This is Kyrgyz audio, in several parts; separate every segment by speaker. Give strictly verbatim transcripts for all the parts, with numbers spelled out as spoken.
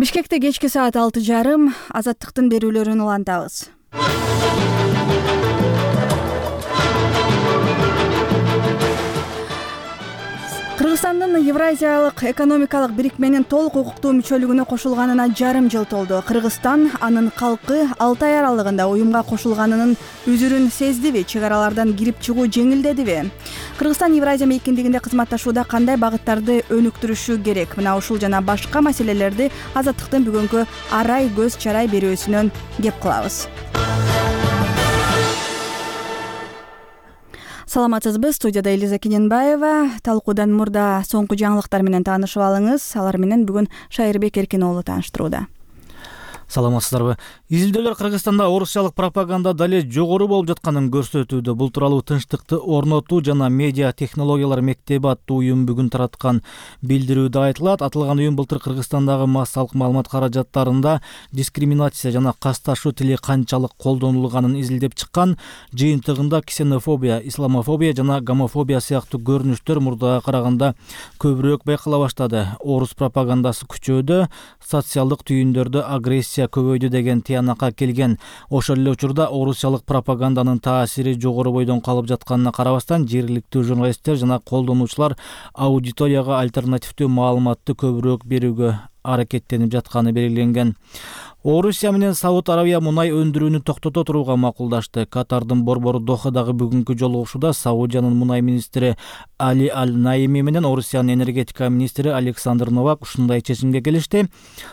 Speaker 1: Бишкекте кечки саат алты жарым азаттыктын берүүлөрүн улантабыз. Кыргызстандын Евразиялык экономикалык бирикменин толук укуктуу мүчөлүгүнө кошулганына жарым жыл толду. Кыргызстан анын калкы алты ай аралыгында уюмга кошулганынын үзүрүн сездиби? Чек аралардан кирип чыгуу жеңилдедиби? Кыргызстан Евразия мейкиндигинде кызматташууда кандай багыттарды өнүктүрүшү керек? Мына ушул жана башка маселелерди азаттыктын бүгүнкү арай көз чарай берүүсүнөн кеп кылабыз. Саламатсызбы, студияда Элиза Кененбаева. Талкуудан мурда соңку жаңылыктар менен таанышып алыңыз. Алар менен бүгүн Шайырбек Эркин уулу тааныштырууда.
Speaker 2: Саламатсыздарбы. Изилдөөлөр Кыргызстанда орусчалык пропаганда дале жогору болуп жатканын көрсөтүүдө. Бул тууралуу Тынчтыкты орнотуу жана медиа технологиялар мектеби аттуу уюм бүгүн тараткан билдирүүдө айтылат. Аталган уюм былтыр Кыргызстандагы массалык маалымат каражаттарында дискриминация жана касташуу тили канчалык колдонулганын изилдеп чыккан. Жыйынтыгында ксенофобия, исламофобия жана гомофобия сыяктуу көрүнүштөр мурдага караганда көбүрөөк байкала баштады. Орус пропагандасы күчөөдө, социалдык түйүндөрдө агрессия көбөйдү деген тыянакка келген. Ошол эле учурда орусчалык пропаганданын таасири жогору бойдон калып жатканына карабастан, жергиликтүү журналисттер жана колдонуучулар аудиторияга альтернативдүү маалыматты көбүрөөк берүүгө аракеттенип жатканы белгиленген. Орусия менен Сауд Арабия мунай өндүрүүнү токтото турууга макулдашты. Катардын борбору Дохадагы бүгүнкү жолугушууда Саудиянын мунай министри Али Аль-Наими менен Орусиянын энергетика министри Александр Новак ушундай чечимге келишти.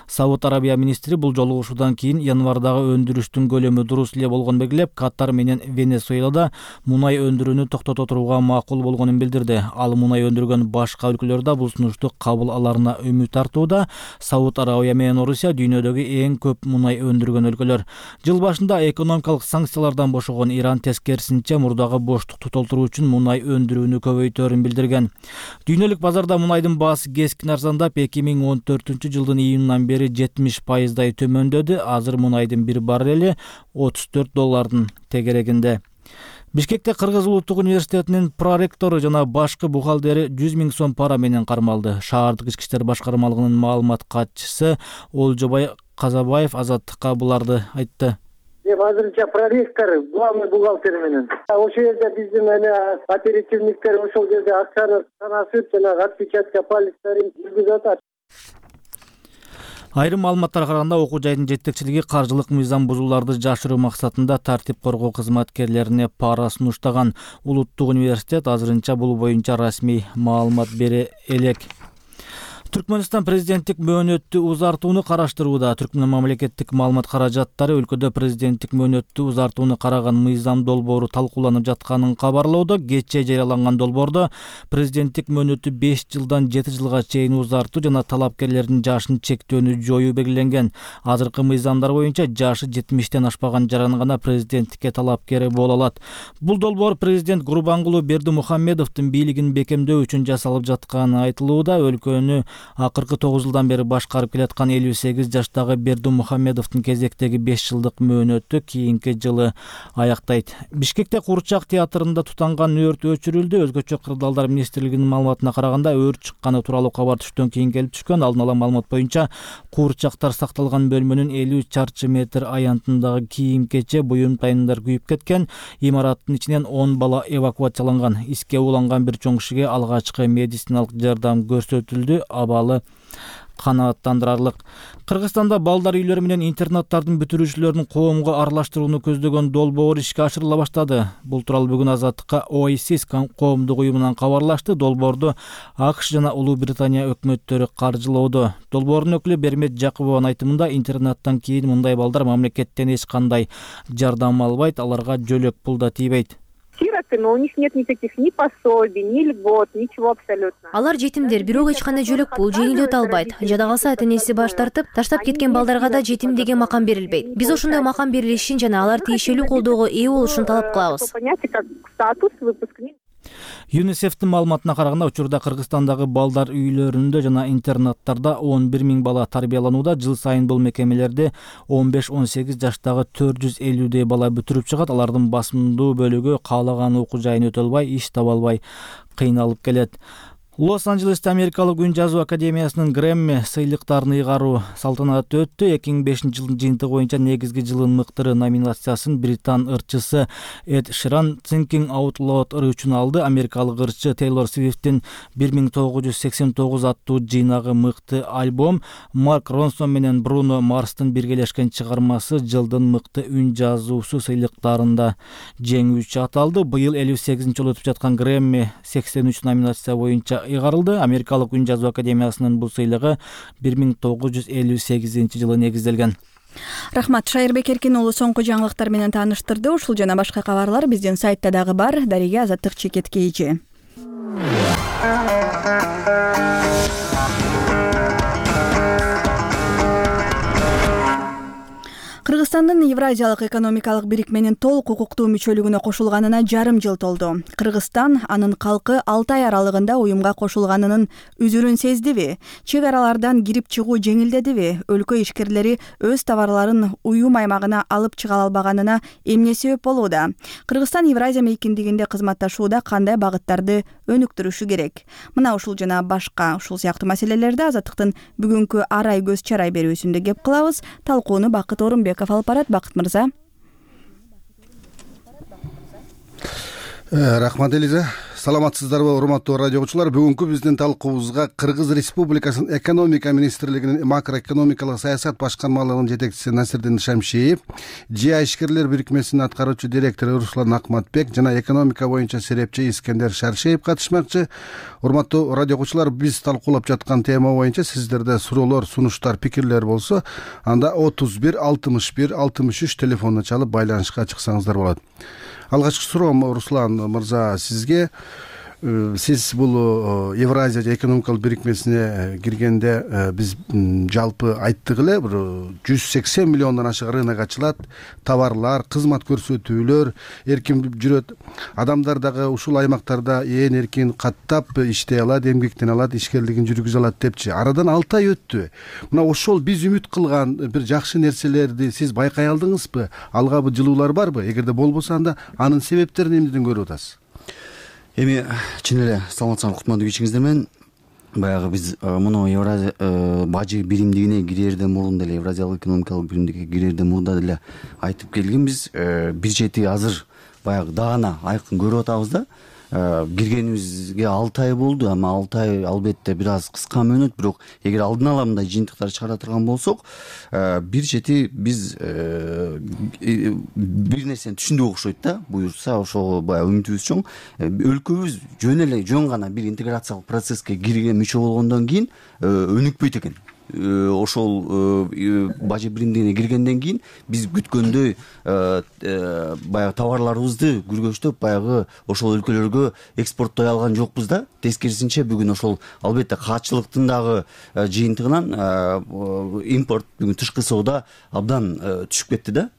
Speaker 2: Сауд Арабия министри бул жолугушуудан кийин январдагы өндүрүштүн көлөмү дурус эле болгонун белгилеп, Катар менен Венесуэлада мунай өндүрүүнү токтото турууга макул болгонун билдирди. Ал мунай өндүргөн башка өлкөлөр да бул сунушту кабыл аларына үмүт артууда. Сауд Арабия менен Орусия дүйнөдөгү эң көп мунай өндүргөн өлкөлөр. Жыл башында экономикалык санкциялардан бошогон Иран тескерисинче мурдагы боштукту толтуруу үчүн мунай өндүрүүнү көбөйтөөрүн билдирген. Дүйнөлүк базарда мунайдын баасы кескин арзандап, эки миң он төртүнчү жылдын июнунан бери жетимиш пайыздай төмөндөдү. Азыр мунайдын бир баррели отуз төрт доллардын тегерегинде. Бишкекте Кыргыз улуттук университетинин проректору жана башкы бухгалтери жүз миң сом пара менен кармалды. Шаардык ички иштер башкармалыгынын маалымат катчысы Олжобай Казабаев азаттыкка буларды айтты.
Speaker 3: Мен азырынча проректор, главный бухгалтер менен. Ошол жерде биздин эне оперативниктер ошол жерде акчаны санашып жана отпечатка пальцтерин жүргүзүп атат.
Speaker 2: Айрым маалыматтарга караганда, окуу жайдын жетекчилиги каржылык мыйзам бузууларды жашыруу максатында тартип коргоо кызматкерлерине пара сунуштаган. Улуттук университет азырынча бул боюнча расмий маалымат бере элек. Түркмөнстан президенттик мөөнөттү узартууну караштырууда. Түркмөн мамлекеттик маалымат каражаттары өлкөдө президенттик мөөнөттү узартууну караган мыйзам долбоору талкууланып жатканын кабарлоодо. Кечээ жарыяланган долбоордо президенттик мөөнөттү беш жылдан жети жылга чейин узартуу жана талапкерлердин жашын чектөөнү жоюу белгиленген. Азыркы мыйзамдар боюнча жашы жетимиштен ашпаган жаран гана президенттикке талапкер боло алат. Бул долбоор президент Гурбангулу Бердимухамедовдун бийлигин бекемдөө үчүн жасалып жатканы айтылууда. Өлкөнү акыркы тогуз жылдан бери башкарып келаткан элүү сегиз жаштагы Бердимухамедовдун кезектеги беш жылдык мөөнөтү кийинки жылы аяктайт. Бишкекте Куурчак театрында тутанган өрт өчүрүлдү. Өзгөчө кырдаалдар министрлигинин маалыматына караганда, өрт чыкканы тууралуу кабар түштөн кийин келип түшкөн. Алдын ала маалымат боюнча, куурчактар сакталган бөлмөнүн элүү чарчы метр аянтындагы кийим-кече, буюм-тайындар күйүп кеткен. Имараттын ичинен он бала эвакуацияланган. Иске уланган бир чоң кишиге алгачкы медициналык жардам көрсөтүлдү. Абалы канааттандырарлык. Кыргызстанда балдар үйлөрү менен интернаттардын бүтүрүүчүлөрүн коомго аралаштырууну көздөгөн долбоор ишке ашырыла баштады. Бул тууралуу бүгүн азаттыкка Oasis коомдук уюмунан кабарлашты. Долбоорду АКШ жана Улуу Британия өкмөттөрү каржылоодо. Долбоордун өкүлү Бермет Жакыбованын айтымында, интернаттан кийин мындай балдар мамлекеттен эч кандай жардам албайт, аларга жөлөк пул да тийбейт.
Speaker 4: Сироты, но у них нет никаких ни пособий, ни льгот, ничего абсолютно.
Speaker 5: Алар жетимдер, бирок эч кандай жөлөк пул, жеңилдет албайт. Жада калса ата энеси баш тартып, таштап кеткен балдарга да жетим деген макам берилбейт. Биз ошондой макам берилишин жана алар тиешелүү колдоого ээ болушун талап кылабыз.
Speaker 2: ЮНИСЕФтин маалыматына караганда, учурда Кыргызстандагы балдар үйлөрүндө жана интернаттарда он бир миң бала тарбияланууда. Жыл сайын бул мекемелерде он беш он сегиз жаштагы төрт жүз элүүдөй бала бүтүрүп чыгат. Алардын басымдуу бөлүгү каалаган окуу жайын өтө албай, иш таба албай кыйналып келет. Лос-Анджелесте Америкалык үн жазуу академиясынын Грэмми сыйлыктарын ыйгаруу салтанаты өттү. эки миң бешинчи жылдын жыйынтыгы боюнча негизги жылдын мыктыры номинациясын британ ырчысы Эд Ширан Thinking Out Loud ыры үчүн алды. Америкалык ырчы Тейлор Свифттин бир миң тогуз жүз сексен тогуз аттуу жыйнагы мыкты альбом, Марк Ронсон менен Бруно Марстын биргелешкен чыгармасы жылдын мыкты үн жазуусу сыйлыктарында жеңүүчү аталды. Быйыл элүү сегизинчи жолу өтүп жаткан Грэмми сексен үч номинация боюнча ыйгарылды. Америкалык үн жазуу академиясынын бул сыйлыгы бир миң тогуз жүз элүү сегизинчи жылы негизделген.
Speaker 1: Рахмат, Шайырбек Эркин уулу соңку жаңылыктар менен тааныштырды. Ушул жана башка кабарлар биздин сайтта дагы бар. Дарига Азаттык Чекет КЖ. Кыргызстандын Евразиялык экономикалык бирикменин толук укуктуу мүчөлүгүнө кошулганына жарым жыл толду. Кыргызстан анын калкы алты ай аралыгында уюмга кошулганынын үзүрүн сездиби? Чек аралардан кирип чыгуу жеңилдедиби? Өлкө ишкерлери өз товарларын уюм аймагына алып чыга албаганына эмне себеп болууда? Кыргызстан Евразия мейкиндигинде кызматташууда кандай багыттарды өнүктүрүшү керек? Мына ушул жана башка ушул сыяктуу маселелерди Азаттыктын бүгүнкү арай көз чарай берүүсүндө кеп кылабыз. Талкууну Бакыт Орунбек алып барат. Бакыт мырза.
Speaker 6: Рахмат Элиза. Саламатсыздарбы, урматтуу радио угуучулар? Бүгүнкү биздин талкуубузга Кыргыз Республикасынын экономика министрлигинин макроэкономикалык саясат башкармалыгынын жетекчиси Насирдин Шамшиев, ЖИА ишкерлер бирикмесинин аткаруучу директору Руслан Акматбек жана экономика боюнча серепчи Искендер Шаршеев катышмакчы. Урматтуу радио угуучулар, биз талкуулап жаткан тема боюнча сиздерде суроолор, сунуштар, пикирлер болсо, анда отуз бир алтымыш бир алтымыш үч телефонуна чалып байланышка чыксаңыздар болот. Алгачкы суроом Руслан мырза сизге. Сиз бул Евразия экономикалык бирикмесине киргенде биз жалпы айттык эле, бир жүз сексен миллиондон ашык рынок ачылат, товарлар, кызмат көрсөтүүлөр эркин жүрөт. Адамдар дагы ушул аймактарда ээн эркин каттап иштей алат, эмгектене алат, ишкерлигин жүргүзө алат депчи. Арадан алты ай өттү. Мына ошол биз үмүт кылган бир жакшы нерселерди сиз байкай алдыңызбы? Алгабы жылуулар барбы? Эгерде болбосо анда анын себептерин эмнеден көрүп атасыз?
Speaker 7: Эми чын эле саламатсыздарбы, кутмандуу кечиңиздер менен. Баягы биз муну Евразия бажы биримдигине кирерден мурун деле, Евразиялык экономикалык биримдикке кирерден мурда деле айтып келгенбиз. Бир чети азыр баягы даана айкын көрүп атабыз да. Киргенибизге алты ай болду, ама алты ай албетте бир аз кыска мөөнөт, бирок эгер алдын ала мындай жыйынтыктар чыгара турган болсок, бир чети биз бир нерсени түшүндүк окшойт да. Буюрса ошого баягы үмүтүбүз чоң. Өлкөбүз жөн эле жөн гана бир интеграциялык процесске кирген мүчө болгондон кийин өнүкпөйт экен. Ошол бажы биримдигине киргенден кийин биз күткөндөй баягы товарларыбызды күргөчтөп баягы ошол өлкөлөргө экспорттой алган жокпуз да. Тескерисинче бүгүн ошол албетте каатчылыктын дагы жыйынтыгынан импорт бүгүн тышкы соода абдан түшүп кетти да.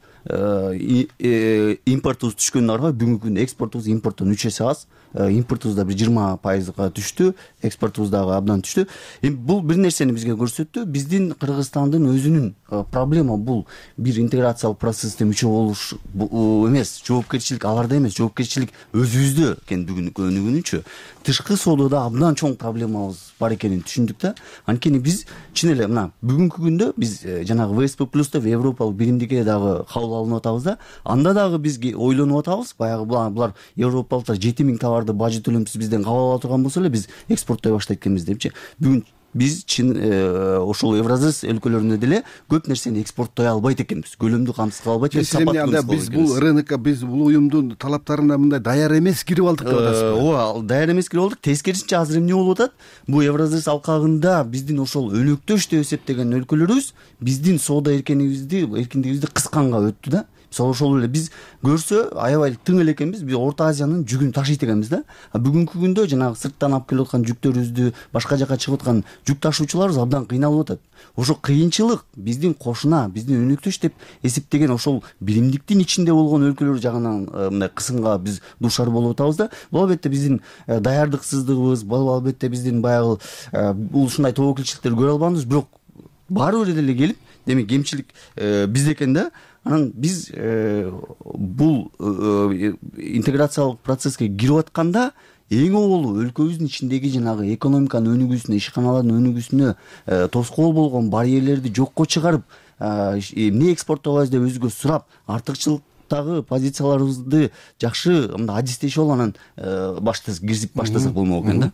Speaker 7: Импортубуз түшкөнүн аркасында бүгүнкү күндө экспортубуз импорттон үч эсе аз. Импортубуз да бир жыйырма пайызга түштү, экспортубуз дагы абдан түштү. Эми бул бир нерсени бизге көрсөттү. Биздин Кыргызстандын өзүнүн проблема бул бир интеграциялык процессте мүчө болуш эмес, жоопкерчилик аларда эмес, жоопкерчилик өзүбүздө экен. Бүгүнкү күнүнчү тышкы соодада абдан чоң проблемабыз бар экенин түшүндүк да. Анткени биз чын эле мына бүгүнкү күндө биз жанагы вэ эс пэ плюста европалык биримдикке дагы кабыл алынып атабыз да. Анда дагы бизге ойлонуп атабыз. Баягы булар европалыктар жети миң товарды бажы төлөмсүз бизден кабыл ала турган болсо эле биз экспорттой баштайт экенбиз депчи. Бүгүн биз чын ошол Евразис өлкөлөрүндө деле көп нерсени экспорттой албайт экенбиз. Көлөмдү камсыз кыла албайт экенбиз.
Speaker 6: Анда биз бул рынокко, биз бул уюмдун талаптарына мындай даяр эмес кирип алдык деп атасызбы?
Speaker 7: Ооба, даяр эмес кирип алдык. Тескерисинче азыр эмне болуп атат? Бул Евразис алкагында биздин ошол өнөктөш деп эсептеген өлкөлөрүбүз биздин соода эркиндигибизди, эркиндигибизди кысканга өттү да. Ошол эле биз көрсө аябай тың эле экенбиз. Биз Орто Азиянын жүгүн ташыйт экенбиз да. Бүгүнкү күндө жанагы сырттан алып келип аткан жүктөрүбүздү, башка жака чыгып аткан жүк ташуучуларыбыз абдан кыйналып атат. Ошо кыйынчылык биздин кошуна, биздин өнөктөш деп эсептеген ошол биримдиктин ичинде болгон өлкөлөр жагынан мындай кысымга биз дуушар болуп атабыз да. Бул албетте биздин даярдыксыздыгыбыз, бул албетте биздин баягы ушундай тобокелчиликтерди көрө албаганыбыз, бирок баары бир эле келип, демек кемчилик бизде экен да. Анан биз бул интеграциялык процесске кирип атканда эң оболу өлкөбүздүн ичиндеги жанагы экономиканын өнүгүүсүнө, ишканалардын өнүгүүсүнө тоскоол болгон барьерлерди жокко чыгарып, эмне экспорттойбайбыз деп өзүгө сурап, артыкчылык позицияларыбызды жакшы мындай адистешип алып анан баштасак кирсип баштасак болмок экен да.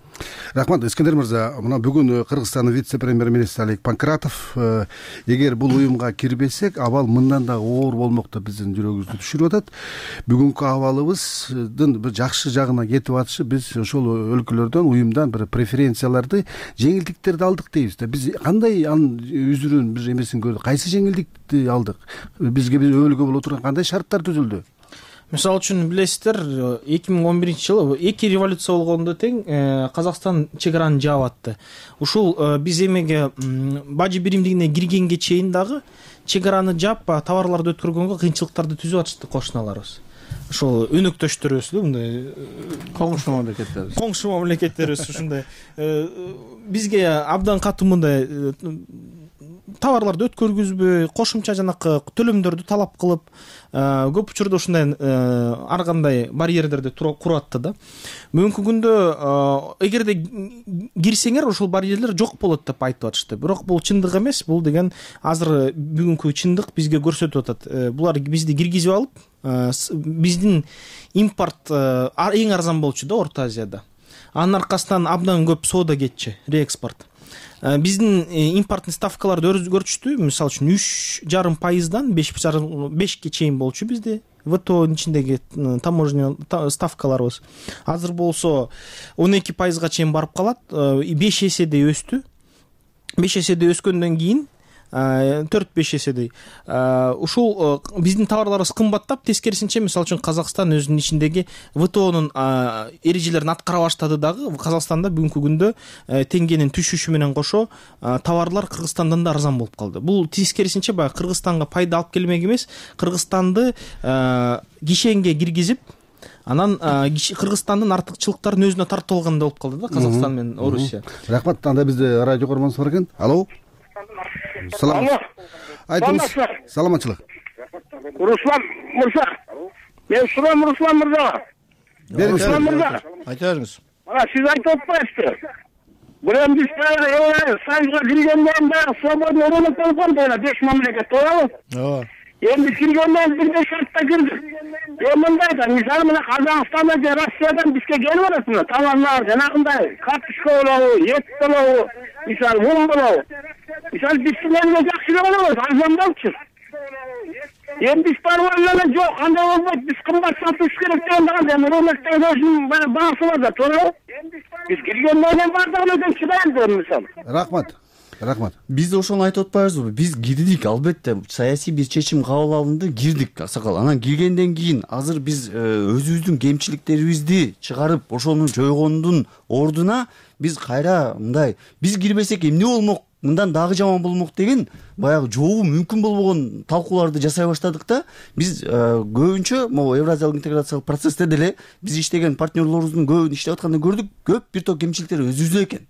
Speaker 6: Рахмат, Искендер мырза. Мына бүгүн Кыргызстандын вице-премьер-министри Алик Панкратов эгер бул уюмга кирбесек, абал мындан да оор болмок деп биздин жүрөгүбүздү түшүрүп атат. Бүгүнкү абалыбыздын бир жакшы жагына кетип атышы, биз ошол өлкөлөрдөн, уюмдан бир преференцияларды, жеңилдиктерди алдык дейбиз да. Биз кандай анын үзүрүн, бир эмесин көрдүк, кайсы жеңилдикти алдык? Бизге бир өбөлгө боло турган кандай шарттар түзүлдү?
Speaker 8: Мисалы үчүн билесиздер, эки миң он биринчи жылы эки революция болгондо тең Казакстан чек араны жаап атты. Ушул биз эмеге Бажы биримдигине киргенге чейин дагы чек араны жаап, товарларды өткөргөнгө кыйынчылыктарды түзүп атышты кошуналарыбыз. Ошол өнөктөштөрүбүз, мындай
Speaker 6: коңшу мамлекеттерибиз.
Speaker 8: Коңшу мамлекеттерибиз ушундай бизге абдан катуу мындай товарларды өткөргүзбөй, кошумча жанакы төлөмдөрдү талап кылып, көп учурда ушундай ар кандай барьерлерди куруп атты да. Бүгүнкү күндө эгерде кирсеңер, ошол барьерлер жок болот деп айтып атышты. Бирок бул чындык эмес. Бул деген азыр бүгүнкү чындык бизге көрсөтүп атат. Булар бизди киргизип алып, биздин импорт эң арзан болчу да Орто Азияда. Анын аркасынан абдан көп соода кетчү, реэкспорт. Биздин импорттун ставкалары өзгөрчү. Мисалы үчүн үч жарым пайыздан бешке чейин болчу бизде ВТОнун ичиндеги таможня ставкаларыбыз. Азыр болсо он эки пайызга чейин барып калат. беш эседей өстү. беш эседей өскөндөн кийин төрт беш эседей ушул биздин товарларыбыз кымбаттап, тескерисинче мисалы үчүн Казакстан өзүнүн ичиндеги ВТОнун эрежелерин аткара баштады дагы. Казакстанда бүгүнкү күндө теңгенин түшүшү менен кошо товарлар Кыргызстандан да арзан болуп калды. Бул тескерисинче баягы Кыргызстанга пайда алып келмек эмес, Кыргызстанды кишенге киргизип, анан Кыргызстандын артыкчылыктарын өзүнө тартып алгандай болуп калды да Казакстан менен Орусия.
Speaker 6: Рахмат. Анда бизде радио көрмөңүз бар экен. Алло. Салам. Айтыңыз. Саламатчылык.
Speaker 9: Руслан мырза. Мен сурам Руслан мырзага. Руслан мырза.
Speaker 6: Айта бериңиз.
Speaker 9: Мына сиз айтып атпайсызбы? Бирок биз Союзга киргенден баягы свободный рынок болгон да, беш мамлекет туурабы? Ооба. Эми киргенден бир беш шартта кирдик. Эми мындай да, мисалы мына Казакстандан же Россиядан бизге келип атат мына товарлар, жанагындай картошка болобу, ет болобу, мисалы мун болобу. Мисалы биз силерге жакшы эле болобуз, арзан болчу. Эми биз барып эле жок, кандай болбойт, биз кымбат сатыш керек деген дагы, эми рыноктон өзүнүн баасы бар да, туурабы? Биз киргенден бардыгын өтөп чыдайбыз мисалы.
Speaker 6: Рахмат. Рахмат.
Speaker 7: Биз ошону айтып атпайбызбы? Биз кирдик, албетте саясий бир чечим кабыл алынды, кирдик Аксакал. Анан киргенден кийин азыр биз өзүбүздүн кемчиликтерибизди чыгарып, ошону жойгондун ордуна биз кайра мындай, биз кирбесек эмне болмок, мындан дагы жаман болмок деген баягы жообу мүмкүн болбогон талкууларды жасай баштадык да. Биз көбүнчө могу евразиялык интеграциялык процессте деле биз иштеген партнерлорубуздун көбүн иштеп атканда көрдүк, көп бир топ кемчиликтер өзүбүздө экен.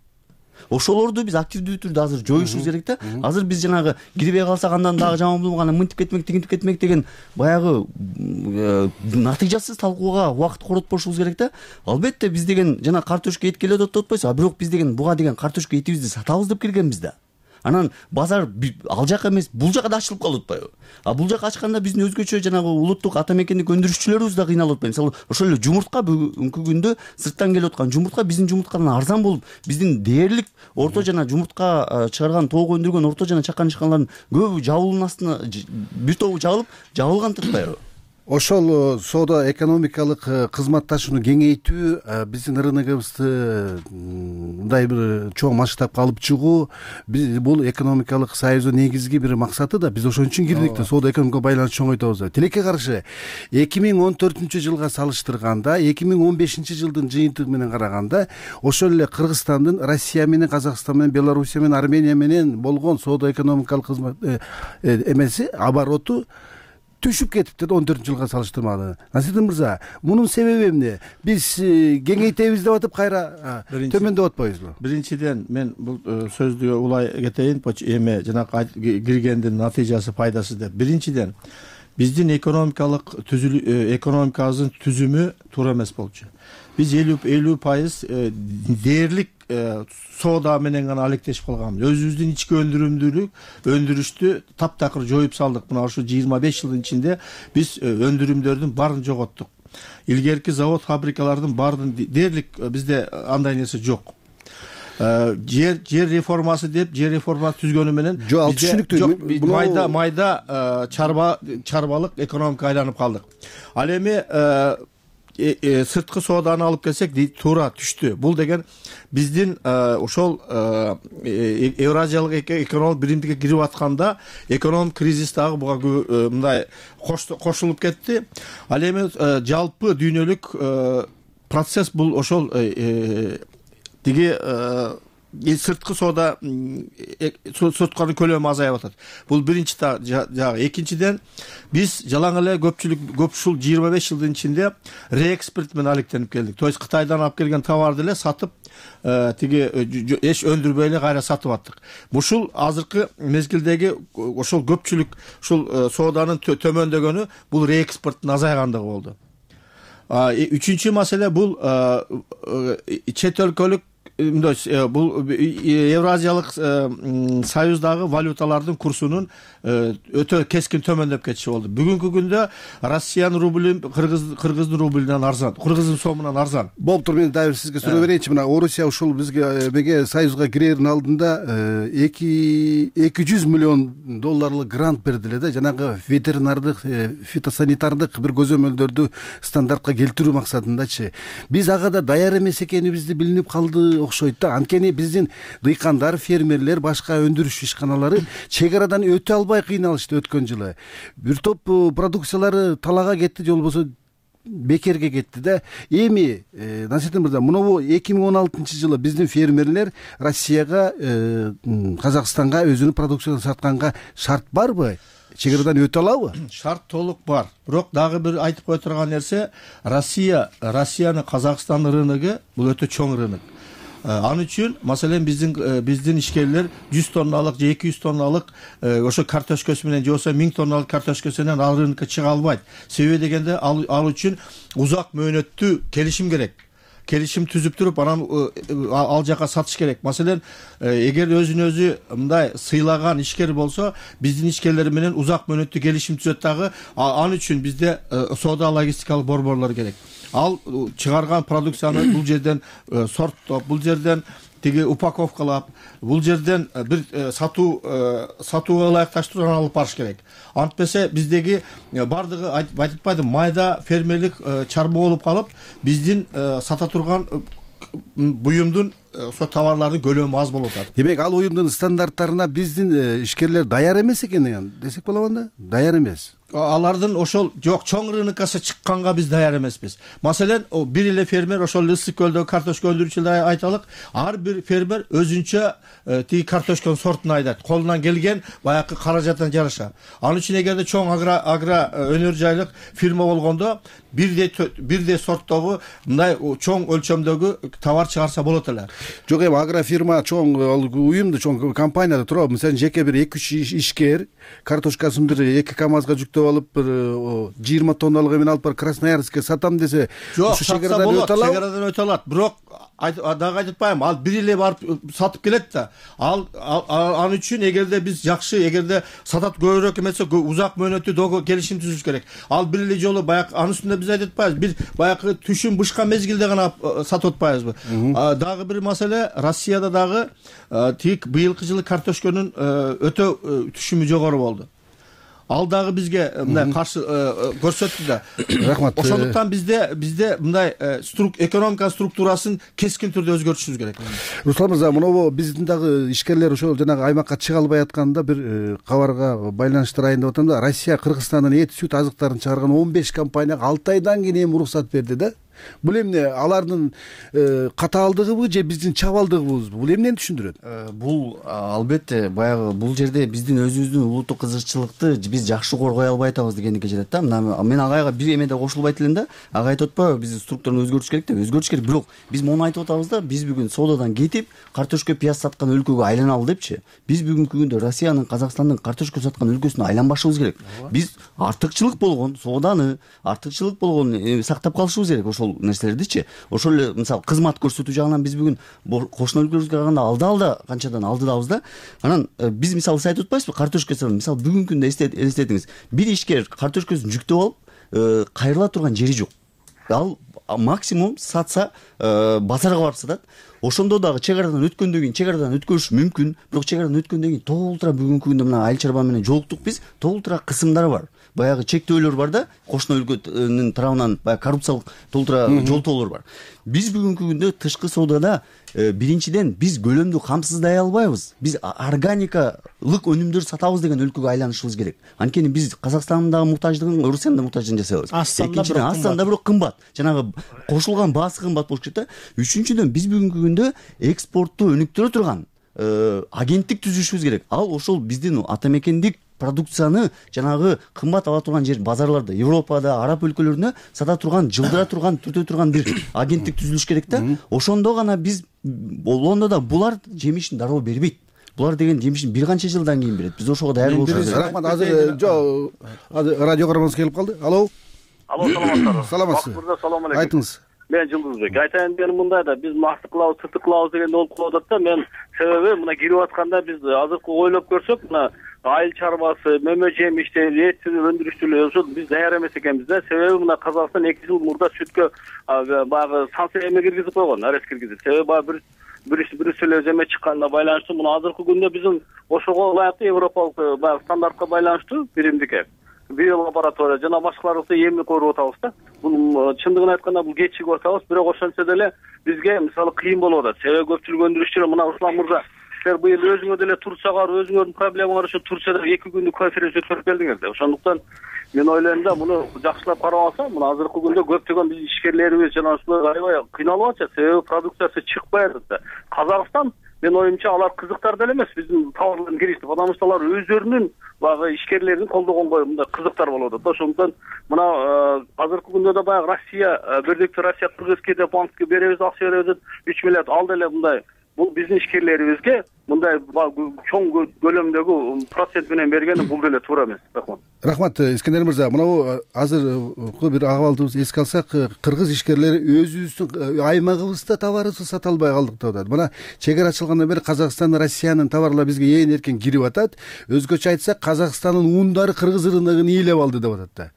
Speaker 7: Ошолорду биз активдүү түрдө азыр жоюшубуз керек да. Азыр биз жанагы кирбей калсак андан дагы жаман болмок, анан мынтип кетмек, тигинтип кетмек деген баягы натыйжасыз талкууга убакыт коротпошубуз керек да. Албетте биз деген жана картошка эт келет деп атпайсызбы? А бирок биз деген буга деген картошка этибизди сатабыз деп келгенбиз да. Анан базар ал жак эмес, бул жака да ачылып калып атпайбы? А бул жака ачканда биздин өзгөчө жанагы улуттук ата мекендик өндүрүшчүлөрүбүз да кыйналып атпайбы? Мисалы ошол эле жумуртка бүгүнкү күндө сырттан келип аткан жумуртка биздин жумурткадан арзан болуп, биздин дээрлик орто жана жумуртка чыгарган, тоок өндүргөн орто жана чакан ишканалардын көбү жабылуунун астына бир тобу жабылып, жабылган туртпайбы?
Speaker 6: Ошол соода экономикалык кызматташууну кеңейтүү, биздин рыногубузду мындай бир чоң масштабка алып чыгуу, биз бул экономикалык союздун негизги бир максаты да. Биз ошон үчүн кирдик да, соода экономикалык байланышты чоңойтабыз. Тилекке каршы эки миң он төртүнчү жылга салыштырганда, эки миң он бешинчи жылдын жыйынтыгы менен караганда, ошол эле Кыргызстандын Россия менен, Казакстан менен, Белоруссия менен, Армения менен болгон соода экономикалык кызмат эмеси, обороту түшүп кетипти он төртүнчү жылга салыштырмалуу. Насирдин мырза, мунун себеби эмне? Биз кеңейтебиз деп атып кайра төмөндөп атпайбызбы?
Speaker 10: Биринчиден мен бул сөздү улай кетейин, эме жанагы киргендин натыйжасы, пайдасы деп. Биринчиден биздин экономикалык түзүлүү экономикабыздын түзүмү туура эмес болчу. Биз элүү элүү пайыз дээрлик соода менен гана алектешип калганбыз. Өзүбүздүн ички өндүрүмдүүлүк өндүрүштү таптакыр жоюп салдык. Мына ушу жыйырма беш жылдын ичинде биз өндүрүмдөрдүн баарын жоготтук. Илгерки завод фабрикалардын баарын дээрлик бизде андай нерсе жок. жер жер реформасы деп жер реформасы түзгөнү менен
Speaker 6: жок, ал түшүнүктүү.
Speaker 10: Майда майда чарба чарбалык экономика айланып калдык. Ал эми сырткы сооданы алып келсек туура түштү. Бул деген биздин ошол Евразиялык экономик биримдикке кирип атканда экономик кризис дагы буга мындай кошулуп кетти. Ал эми жалпы дүйнөлүк процесс бул ошол тиги сырткы соода сотканын көлөмү азайып атат. Бул биринчи жагы. Экинчиден биз жалаң эле көпчүлүк көп ушул жыйырма беш жылдын ичинде реэкспорт менен алектенип келдик. То есть Кытайдан алып келген товарды эле сатып тиги эч өндүрбөй эле кайра сатып аттык. Ушул азыркы мезгилдеги ошол көпчүлүк ушул сооданын төмөндөгөнү бул реэкспорттун азайгандыгы болду. Үчүнчү маселе бул чет өлкөлүк бул Евразиялык союздагы валюталардын курсунун өтө кескин төмөндөп кетиши болду. Бүгүнкү күндө Россиянын рубль кыргыздын рублунан арзан, кыргыздын сомунан арзан.
Speaker 6: Болуптур, мен дагы сизге суроо берейинчи. Мына Орусия ушул бизге меге союзга кирердин алдында эки жүз миллион долларлык грант берди эле да, жанагы ветеринардык, фитосанитардык бир көзөмөлдөрдү стандартка келтирүү максатындачы. Биз ага да даяр эмес экенибизди билинип калды окшойт да. Анткени биздин дыйкандар, фермерлер, башка өндүрүш ишканалары чек арадан өтө албай кыйналышты өткөн жылы. Бир топ продукциялары талаага кетти, же болбосо бекерге кетти да. Эми Насирдин мырза, мынабу эки миң он алтынчы жылы биздин фермерлер Россияга, Казакстанга өзүнүн продукциясын сатканга шарт барбы? Чек арадан өтө алабы?
Speaker 10: Шарт толук бар. Бирок дагы бир айтып кое турган нерсе, Россия, Россиянын Казакстан рыногу бул өтө чоң рынок. Ал үчүн маселен биздин биздин ишкерлер жүз тонналык же эки жүз тонналык ошо картошкасы менен же болбосо миң тонналык картошкасы менен ал рынокко чыга албайт. Себеби дегенде ал үчүн узак мөөнөттүү келишим керек. Келишим түзүп туруп анан ал жака сатыш керек. Маселен, эгер өзүн өзү мындай сыйлаган ишкер болсо, биздин ишкерлер менен узак мөөнөттүү келишим түзөт дагы. Ал үчүн бизде соода логистикалык борборлор керек. Ал чыгарган продукцияны бул жерден сорттоп, бул жерден тиги упаковкалап, бул жерден бир сатуу сатууга ылайыкташтыруудан алып барыш керек. Антпесе биздеги бардыгы айтып атпайдым, майда фермерлик чарба болуп калып, биздин сата турган буюмдун ошо товарлардын көлөмү аз болуп атат.
Speaker 6: Демек, ал уюмдун стандарттарына биздин ишкерлер даяр эмес экен десек болобу да? Даяр эмес.
Speaker 10: Алардын ошол жок, чоң рынокко чыкканга биз даяр эмеспиз. Маселен, бир эле фермер ошол Ысык көлдөгү картошка өндүрүүчүлөр айталык, ар бир фермер өзүнчө тиги картошканын сортун айдайт. Колунан келген баягы каражаттан жараша. Ал үчүн эгерде чоң агро агро өнөр жайлык фирма болгондо бирдей бирдей сорттогу мындай чоң өлчөмдөгү товар чыгарса болот эле.
Speaker 6: Жок, эми агрофирма чоң уюмду, чоң компанияда туруп, мисалы жеке бир эки үч ишкер картошкасын бир эки камазга жүктөп алып, бир жыйырма тонналык эмен алып бар Красноярскке сатам десе,
Speaker 10: ушу чегарадан өтө алат. Чегарадан өтө алат. Бирок дагы айтып атпайм, ал бир эле барып сатып келет да. Ал ал үчүн эгерде биз жакшы, эгерде сатат көбүрөөк эмесе, узак мөөнөттүү догу келишим түзүш керек. Ал бир эле жолу баягы анын үстүндө биз айтып атпайбыз, бир баягы түшүм бышка мезгилде гана сатып атпайбызбы? Дагы бир маселе, Россияда дагы тик быйылкы жылы картошканын өтө түшүмү жогору болду. Ал дагы бизге мындай каршы көрсөттү да.
Speaker 6: Рахмат.
Speaker 10: Ошондуктан бизде бизде мындай экономика структурасын кескин түрдө өзгөртүшүбүз керек.
Speaker 6: Руслан мырза, мынабу биздин дагы ишкерлер ошол жанагы аймакка чыга албай атканда бир кабарга байланыштырайын деп атам да. Россия Кыргызстандын эт, сүт азыктарын чыгарган он беш компанияга алты айдан кийин эми уруксат берди да. Бул эмне алардын катаалдыгыбы же биздин чабалдыгыбызбы? Бул эмнени түшүндүрөт?
Speaker 7: Бул албетте баягы бул жерде биздин өзүбүздүн улуттук кызыкчылыкты биз жакшы коргой албай атабыз дегендикке жетет да. Мына мен агайга бир эме да кошулбайт элем да. Ага айтып атпайбы, биздин структураны өзгөртүш керек деп. Өзгөртүш керек, бирок биз муну айтып атабыз да, биз бүгүн соодадан кетип картошка пияз саткан өлкөгө айланалы депчи. Биз бүгүнкү күндө Россиянын, Казакстандын картошка саткан өлкөсүнө айланбашыбыз керек. Биз артыкчылык болгон сооданы, артыкчылык болгон сактап калышыбыз керек ошол нерселердичи. Ошол эле мисалы кызмат көрсөтүү жагынан биз бүгүн кошуна өлкөлөргө караганда алда-алда канчадан алдыдабыз да. Анан биз мисалы сиз айтып атпайсызбы, картошка мисалы бүгүнкү күндө элестетиңиз. Бир ишкер картошкасын жүктөп алып кайрыла турган жери жок. Ал максимум сатса базарга барып сатат. Ошондо дагы чек арадан өткөндөн кийин чек арадан өткөрүш мүмкүн, бирок чек арадан өткөндөн кийин толтура бүгүнкү күндө мына айыл чарба менен жолуктук биз, толтура кысымдар бар. Баягы чектөөлөр бар да, кошуна өлкөнүн тарабынан баягы коррупциялык толтура жолтоолор бар. Биз бүгүнкү күндө тышкы соодада биринчиден биз көлөмдү камсыздай албайбыз. Биз органикалык өнүмдөр сатабыз деген өлкөгө айланышыбыз керек. Анткени биз Казакстандын дагы муктаждыгын, Орусиянын да муктаждыгын жасайбыз. Экинчиден астанда бирок кымбат. Жанагы кошулган баасы кымбат болуш керек да. Үчүнчүдөн биз бүгүнкү күндө экспортту өнүктүрө турган агенттик түзүшүбүз керек. Ал ошол биздин ата мекендик продукцияны жанагы кымбат ала турган жер базарларда, Европада, араб өлкөлөрүнө сата турган, жылдыра турган, түртө турган бир агенттик түзүлүш керек да. Ошондо гана биз болгондо да булар жемишин дароо бербейт. Булар деген жемишин бир канча жылдан кийин берет. Биз ошого даяр болушубуз керек.
Speaker 6: Рахмат. Азыр жо радио көрөрманыбыз келип калды. Алло.
Speaker 9: Алло, саламатсызбы?
Speaker 6: Саламатсыз.
Speaker 9: Салам алейкум.
Speaker 6: Айтыңыз.
Speaker 9: Мен Жылдызбек. Айтайын дегеним мындай да, биз максат кылабыз, сыртты кылабыз дегенде болуп калып атат да. Мен себеби мына кирип атканда биз азыркы ойлоп көрсөк, мына айыл чарбасы, мөмө жемиштер, эт өндүрүштүлөр ошо биз даяр эмес экенбиз да. Себеби мына Казакстан эки жыл мурда сүткө баягы санкция эме киргизип койгон, арест киргизип. Себеби баягы бир Брюсселден эме чыкканына байланыштуу мына азыркы күндө биздин ошого ылайыктуу европалык баягы стандартка байланыштуу биримдикке биолаборатория жана башкаларды эмне көрүп атабыз да. Бул чындыгын айтканда бул кечигип атабыз, бирок ошентсе деле бизге мисалы кыйын болуп атат. Себеби көпчүлүк өндүрүшчүлөр мына Руслан мырза, силер быйыл өзүңөр деле Турцияга, өзүңөрдүн проблемаңар үчүн Турцияда эки күндүк конференция өткөрүп келдиңер да. Ошондуктан мен ойлойм да, муну жакшылап карап алса, мына азыркы күндө көптөгөн биз ишкерлерибиз жана ушулар аябай кыйналып атышат. Себеби продукциясы чыкпай атат да. Казакстан мен оюмча алар кызыктар деле эмес биздин товарларын киргизди, потому что алар өздөрүнүн баягы ишкерлерин колдогонго мындай кызыктар болуп атат да. Ошондуктан мына азыркы күндө да баягы Россия, бирдиктүү Россия Кыргызскийде банкке беребиз, акча беребиз деп үч миллиард ал деле мындай бул биздин ишкерлерибизге мындай чоң көлөмдөгү процент менен бергени бул деле туура эмес. Рахмат.
Speaker 6: Рахмат, Искендер мырза. Мына азыркы бир акыбалдыбызды эске алсак, кыргыз ишкерлери өзүбүздүн аймагыбызда товарыбызды сата албай калдык деп атат. Мына чек ара ачылгандан бери Казакстан, Россиянын товарлары бизге ээн эркен кирип атат. Өзгөчө айтсак, Казакстандын ундары кыргыз рыногун ээлеп алды деп атат да.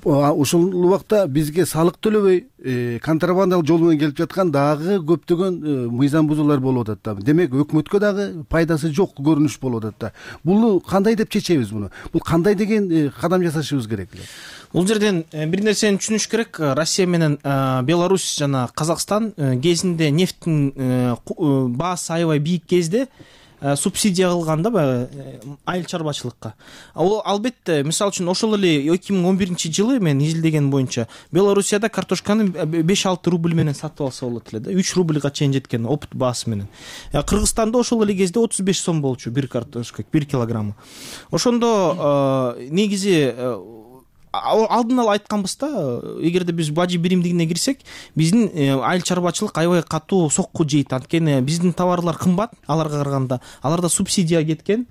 Speaker 6: Ошол убакта бизге салык төлөбөй контрабандалык жол менен келип жаткан дагы көптөгөн мыйзам бузуулар болуп атат да. Демек өкмөткө дагы пайдасы жок көрүнүш болуп атат да. Буну кандай деп чечебиз буну? Бул кандай деген кадам жасашыбыз керек эле?
Speaker 8: Бул жерден бир нерсени түшүнүш керек. Россия менен Беларусь жана Казакстан кезинде нефттин баасы аябай бийик кезде субсидия кылганда баягы айыл чарбачылыкка. Ал албетте, мисалы үчүн ошол эле эки миң он биринчи жылы мен изилдеген боюнча Белоруссияда картошканы беш алты рубль менен сатып алса болот эле да. үч рубльга чейин жеткен опыт баасы менен. Кыргызстанда ошол эле кезде отуз беш сом болчу бир картошка, бир килограммы. Ошондо негизи алдын ала айтканбыз да, эгерде биз бажы биримдигине кирсек, биздин айыл чарбачылык аябай катуу сокку жейт. Анткени биздин товарлар кымбат аларга караганда. Аларда субсидия кеткен.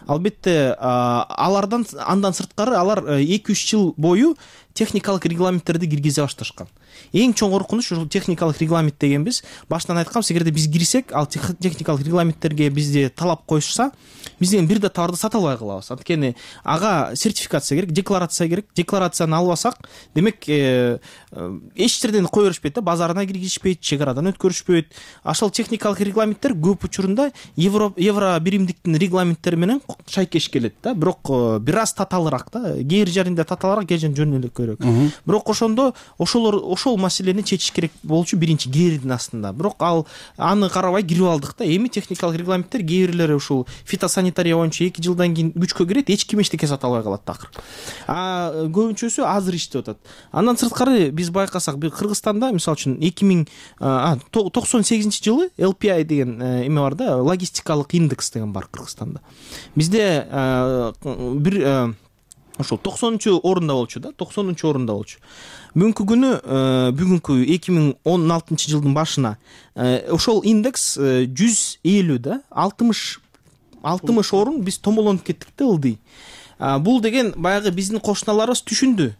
Speaker 8: Албетте, алардан андан сырткары алар эки үч жыл бою техникалык регламенттерди киргизе башташкан. Эң чоң коркунуч ушул техникалык регламент дегенбиз. Баштан айтканбыз, эгерде биз кирсек, ал техникалык регламенттерге бизде талап коюшса, бизден бир да товарды сата албай калабыз. Анткени ага сертификация керек, декларация керек. Декларацияны албасак, демек эч жерден кое беришпейт да, базарына киргизишпейт, чек арадан өткөрүшпөйт. Ошол техникалык регламенттер көп учурунда евро евро биримдиктин регламенттери менен шайкеш келет да. Бирок бир аз татаалыраак да, кээ бир жеринде татаалыраак, кээ жеринде жөн эле керек. Бирок ошондо ошолор ошол маселени чечиш керек болчу биринчи кээрдин астында. Бирок ал аны карабай кирип алдык да. Эми техникалык регламенттер кээ бирлери ушул фитосанитария боюнча эки жылдан кийин күчкө кирет, эч ким эчтеке сата албай калат такыр. А көбүнчөсү азыр иштеп атат. Андан сырткары биз байкасак, Кыргызстанда мисалы үчүн эки миң токсон сегизинчи жылы эл пи ай деген эме бар да, логистикалык индекс деген бар Кыргызстанда. Бизде бир ошол токсонунчу орунда болчу да, токсонунчу орунда болчу. Бүгүнкү күнү, бүгүнкү эки миң он алтынчы жылдын башына ошол индекс жүз элүү да, алтымыш алтымыш орун биз томолонуп кеттик да, ылдый. Бул деген баягы биздин кошуналарыбыз түшүндү.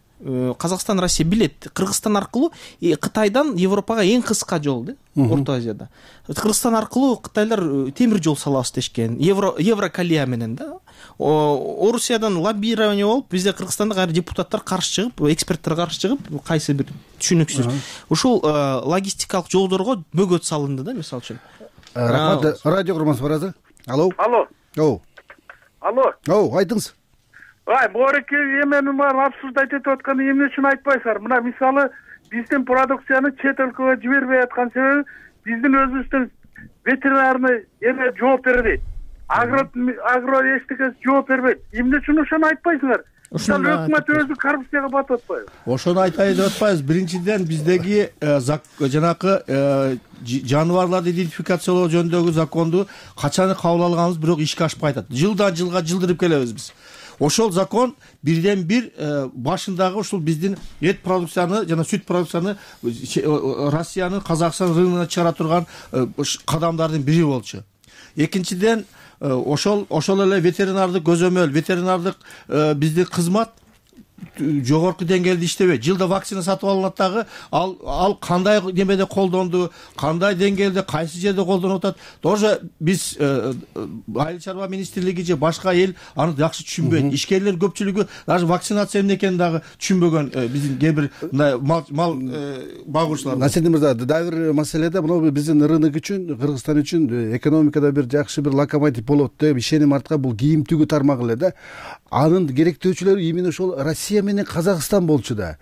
Speaker 8: Казакстан, Россия билет. Кыргызстан аркылуу Кытайдан Европага эң кыска жол да, Орто Азияда. Кыргызстан аркылуу кытайлар темир жол салабыз дешкен. Евро Евроколея менен да. Орусиядан лоббирование болуп, бизде Кыргызстанда кайра депутаттар каршы чыгып, эксперттер каршы чыгып, кайсы бир түшүнүксүз. Ушул логистикалык жолдорго бөгөт салынды да, мисалы үчүн.
Speaker 6: Рахмат. Радио курмансы бар азыр. Алло.
Speaker 9: Алло.
Speaker 6: О.
Speaker 9: Алло.
Speaker 6: О, айтыңыз.
Speaker 9: Ай, бореке эмени бар абсурд айтып атканы эмне үчүн айтпайсыздар? Мына мисалы биздин продукцияны чет өлкөгө жибербей аткан себеби биздин өзүбүздүн ветеринарный эме жооп бербейт. Агро агро эчтекеси жооп бербейт. Эмне үчүн ошону айтпайсыңар? Ошол өкмөт өзү коррупцияга батып атпайбы?
Speaker 10: Ошону айтайын деп атпайбыз. Биринчиден биздеги жанакы жаныбарларды идентификациялоо жөнүндөгү законду качан кабыл алганбыз, бирок ишке ашпай атат. Жылдан жылга жылдырып келебиз биз. Ошол закон бирден бир башындагы ушул биздин эт продукцияны жана сүт продукцияны Россиянын Казакстан рыногуна чыгара турган кадамдардын бири болчу. Экинчиден ошол ошол эле ветеринардык көзөмөл, ветеринардык биздин кызмат жогорку деңгээлде иштебейт. Жылда вакцина сатып алынат дагы, ал ал кандай немеде колдонду, кандай деңгээлде, кайсы жерде колдонуп атат. Тоже биз Айыл чарба министрлиги же башка эл аны жакшы түшүнбөйт. Ишкерлер көпчүлүгү даже вакцинация эмне экенин дагы түшүнбөгөн биздин кээ бир мал мал багуучулар.
Speaker 6: Насиrdin мырза, дагы бир маселеде мына биздин рынок үчүн, Кыргызстан үчүн экономикада бир жакшы бир локомотив болот деп ишеним арткан бул кийим тигүү тармагы эле да. Анын керектөөчүлөрү именно ошол Россия менен Казакстан болчу да.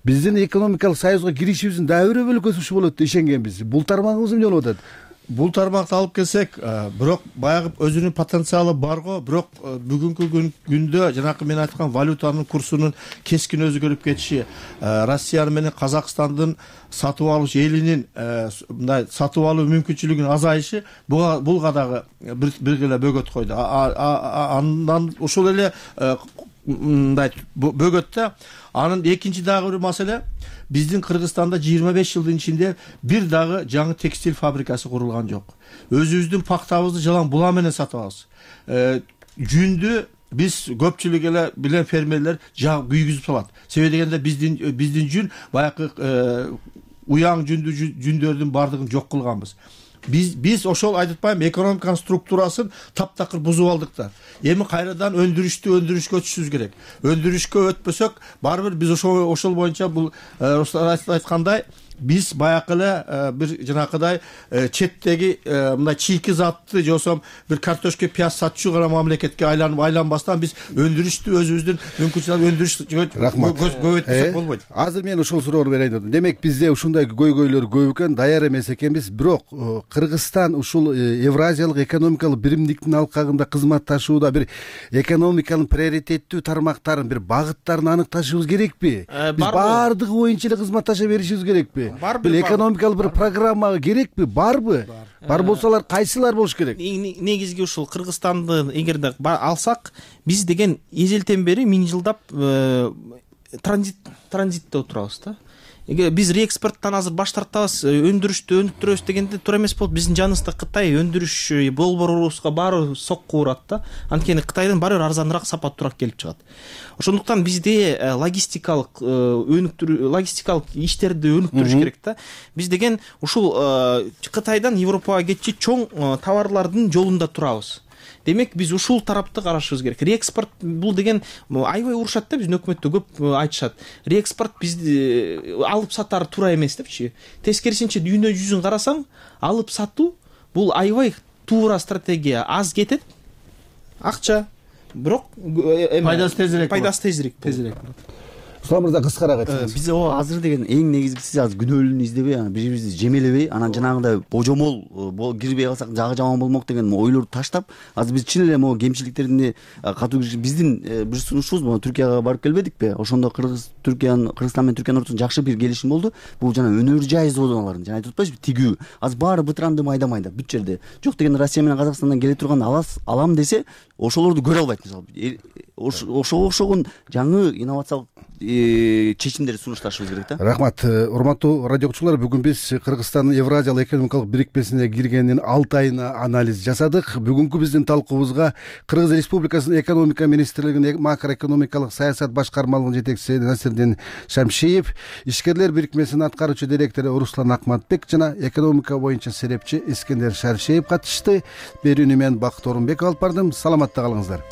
Speaker 6: Биздин экономикалык союзга киришибиздин дагы бир бөлүкөсү ушу болот деп ишенгенбиз. Бул тармагыбыз эмне болуп атат?
Speaker 10: Бул тармакты алып келсек, бирок баягы өзүнүн потенциалы бар го, бирок бүгүнкү күндө жанакы мен айткан валютанын курсунун кескин өзгөрүп кетиши, Россия менен Казакстандын сатып алуучу элинин мындай сатып алуу мүмкүнчүлүгүнүн азайышы буга дагы бир эле бөгөт койду. Андан ошол эле мындай бөгөттө анын экинчи дагы бир маселе, биздин Кыргызстанда жыйырма беш жылдын ичинде бир дагы жаңы текстиль фабрикасы курулган жок. Өзүбүздүн пактабызды жалаң була менен сатып алабыз. Жүндү биз көпчүлүк эле билен фермерлер жаг күйгүзүп салат. Себеби дегенде биздин биздин жүн баягы уяң жүндү жүндөрдүн бардыгын жок кылганбыз. Биз биз ошол айтып атпаймынбы, экономиканын структурасын таптакыр бузуп алдык да. Эми кайрадан өндүрүштү өндүрүшкө өтүшүбүз керек. Өндүрүшкө өтпөсөк, барбыр биз ошол ошол боюнча бул айткандай биз баягы эле бир жанакыдай четтеги мындай чийки затты же болсо бир картошка пияз сатчу гана мамлекетке айланып айланбастан биз өндүрүштү өзүбүздүн мүмкүнчүлүгүн өндүрүш көбөйтсөк болбойт.
Speaker 6: Азыр мен ушул суроону берейин дедим. Демек бизде ушундай көйгөйлөр көп экен, даяр эмес экенбиз. Бирок Кыргызстан ушул Евразиялык экономикалык биримдиктин алкагында кызматташууда бир экономиканын приоритеттүү тармактарын, бир багыттарын аныкташыбыз керекпи? Биз баардыгы боюнча эле кызматташа беришибиз керекпи? Бул экономикалык бир программа керекпи? Барбы? Бар болсолар кайсылар болуш керек?
Speaker 8: Негизги ушул Кыргызстанды эгерде алсак, биз деген эзелтен бери миң жылдап транзит транзитте отурабыз да. Эге биз реэкспорттон азыр баш тартабыз, өндүрүштү өнүктүрөбүз дегенде туура эмес болот. Биздин жаныбызда Кытай өндүрүш болборубузга баары сокку урат да. Анткени Кытайдан баары бир арзаныраак, сапаттуураак келип чыгат. Ошондуктан бизде логистикалык өнүктүрүү, логистикалык иштерди өнүктүрүш керек да. Биз деген ушул Кытайдан Европага кетчи чоң товарлардын жолунда турабыз. Демек биз ушул тарапты карашыбыз керек. Реэкспорт бул деген аябай урушат да, биздин өкмөттө көп айтышат. Реэкспорт бизди алып сатары туура эмес депчи. Тескерисинче дүйнө жүзүн карасаң, алып сатуу бул аябай туура стратегия. Аз кетет акча, бирок
Speaker 10: пайдасы тезирээк.
Speaker 8: Пайдасы тезирээк.
Speaker 10: Тезирээк.
Speaker 6: руслан мырза кыскараак айтсаңыз.
Speaker 7: Биз о азыр деген эң негизгиси азыр күнөөлүүнү издебей, анан бири бирибизди жемелебей, анан жанагындай божомол кирбей калсак жагы жаман болмок деген ойлорду таштап, азыр биз чын эле могу кемчиликтерине катуу киришип, биздин бир сунушубуз могу Түркияга барып келбедикпи? Ошондо Кыргыз Түркиянын Кыргызстан менен Түркиянын ортосунда жакшы бир келишим болду. Бул жана өнөр жай зоналарын, жана айтып атпайсызбы, тигүү. Азыр баары бытыранды майда майда бүт жерде. Жок деген Россия менен Казакстандан келе турган алас алам десе, ошолорду көрө албайт мисалы. Ошого окшогон жаңы инновациялык чечимдерди сунушташыбыз керек да.
Speaker 6: Рахмат. Урматтуу радио угуучулар, бүгүн биз Кыргызстандын Евразиялык экономикалык бирикмесине киргенин алты айына анализ жасадык. Бүгүнкү биздин талкуубузга Кыргыз Республикасынын экономика министрлигинин макроэкономикалык саясат башкармалыгынын жетекчиси Насирдин Шамшиев, ишкерлер бирикмесинин аткаруучу директору Руслан Акматбек жана экономика боюнча серепчи Искендер Шаршеев катышты. Берүүнү мен Бакыт Орунбеков алып бардым. Саламатта калыңыздар.